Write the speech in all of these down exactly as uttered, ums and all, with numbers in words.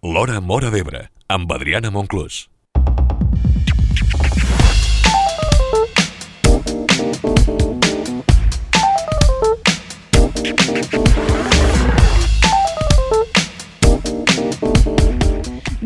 L'Hora Móra d'Ebre, amb Adriana Monclús.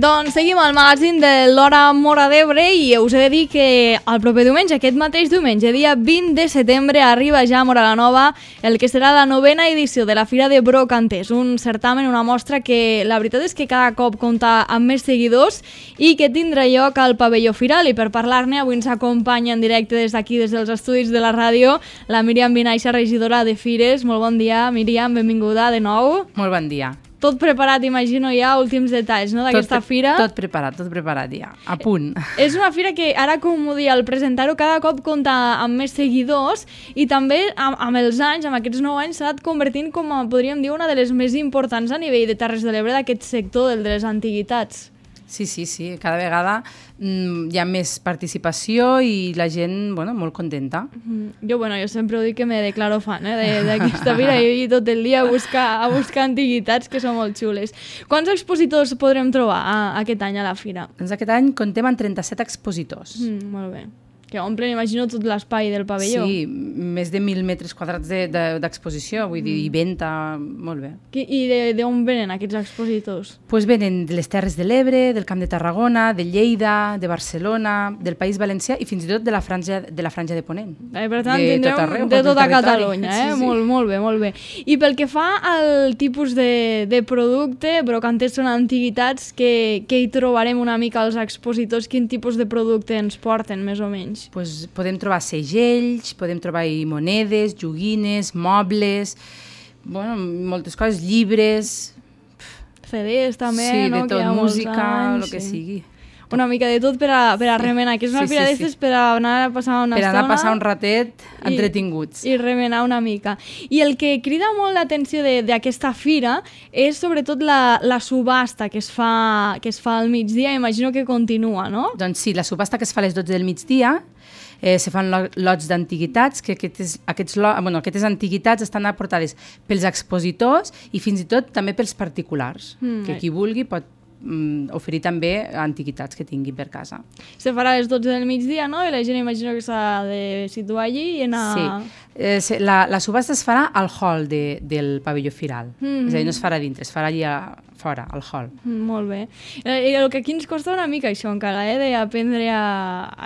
Doncs seguim al magazín de l'Hora Móra d'Ebre i us he de dir que el proper diumenge, aquest mateix diumenge, dia vint de setembre, arriba ja a Móra la Nova el que serà la novena edició de la Fira de Brocanters, un certamen, una mostra que la veritat és que cada cop compta amb més seguidors i que tindrà lloc al pavelló Firal. I per parlar-ne avui ens acompanya en directe des d'aquí, des dels estudis de la ràdio, la Míriam Vinaixa, regidora de Fires. Molt bon dia, Míriam, benvinguda de nou. Molt bon dia. Tot preparat, imagino, ja, últims detalls, no?, d'aquesta fira. Tot preparat, tot preparat ja, a punt. És una fira que, ara com ho dia, al presentar-ho cada cop compta amb més seguidors i també amb, amb els anys, amb aquests nou anys, s'ha anat convertint com, a, podríem dir, una de les més importants a nivell de Terres de l'Ebre d'aquest sector, el de les antiguitats. Sí, sí, sí, cada vegada mm, hi ha més participació i la gent, bueno, molt contenta. Mm, jo, bueno, jo sempre ho dic que me declaro fan, eh, d'aquesta fira, jo he tot el dia a buscar, a buscar antiguitats que són molt xules. Quants expositors podrem trobar a, aquest any a la fira? Doncs aquest any comptem amb trenta-set expositors. Mm, molt bé. Que omplen, imagino, tot l'espai del pavelló. Sí, més de mil metres quadrats d'exposició, de, de, vull dir, i venda, molt bé. I d'on venen aquests expositors? Pues venen de les Terres de l'Ebre, del Camp de Tarragona, de Lleida, de Barcelona, del País Valencià i fins i tot de la Franja de, la franja de Ponent. Eh, per tant, de tindrem tot arreu, de tota Catalunya, eh? Sí, sí. Molt, molt bé, molt bé. I pel que fa al tipus de, de producte, Brocanters són antiguitats, que, que hi trobarem una mica els expositors, quin tipus de producte ens porten, més o menys? Pues podem trobar segells, podem trobar monedes, joguines, mobles, bueno, moltes coses, llibres... C Ds també, sí, no? Sí, de tot, música, el que sí. sigui. Una mica de tot per a, per a remenar, que és una sí, fira sí, d'estes sí. per a anar a passar una per estona. Per anar a passar un ratet i, entretinguts. I remenar una mica. I el que crida molt l'atenció d'aquesta fira és sobretot la, la subhasta que es, fa, que es fa al migdia, imagino que continua, no? Doncs sí, la subhasta que es fa a les dotze del migdia, Eh, se fan lots d'antiguitats, que aquestes, aquests, bueno, aquestes antiguitats estan aportades pels expositors i fins i tot també pels particulars, mm. que qui vulgui pot mm, oferir també antiguitats que tingui per casa. Se farà a les dotze del migdia, no? I la gent imagino que s'ha de situar allí i anar... Sí, eh, la, la subhasta es farà al hall de, del pavelló Firal, mm. és a dir, no es farà dintre, es farà allà a fora, al hall. Mm, molt bé. Eh, el que aquí ens costa una mica això encara, eh, d'aprendre a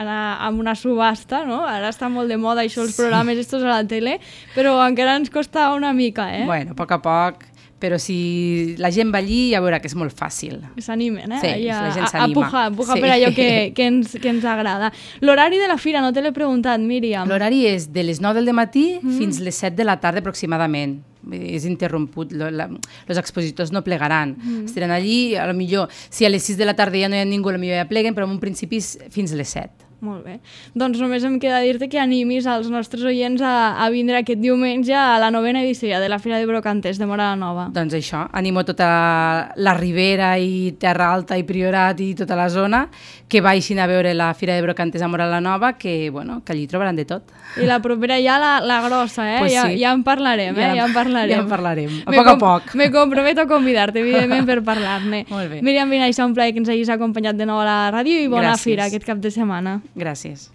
anar amb una subhasta, no? Ara està molt de moda això, els sí. programes estos a la tele, però encara ens costa una mica, eh? Bueno, a poc a poc, però si la gent va allí ja veurà que és molt fàcil. S'animen, eh? Sí, ja, la gent s'anima. A pujar, a pujar sí. per allò que, que, ens, que ens agrada. L'horari de la fira, no te l'he preguntat, Míriam. L'horari és de les nou del matí mm. fins les set de la tarda aproximadament. És interromput, els expositors no plegaran, mm. estaran allí, a lo millor, si a les sis de la tarda ja no hi ha ningú, a lo millor ja pleguen, però en un principi fins a les set. Molt bé. Doncs només em queda dir-te que animis als nostres oients a, a vindre aquest diumenge a la novena edició de la Fira de Brocanters de Móra la Nova. Doncs això, animo tota la Ribera i Terra Alta i Priorat i tota la zona que baixin a veure la Fira de Brocanters a Móra la Nova, que, bueno, que allí trobaran de tot. I la propera ja la, la grossa, eh? Pues ja, sí. ja en parlarem, eh? Ja en parlarem. Ja en parlarem, a poc a poc. Me comprometo a convidar-te, evidentment, per parlar-ne. Molt bé. Míriam Vinaixa, un plaer que ens hagis acompanyat de nou a la ràdio i bona Gràcies. fira aquest cap de setmana. Gràcies.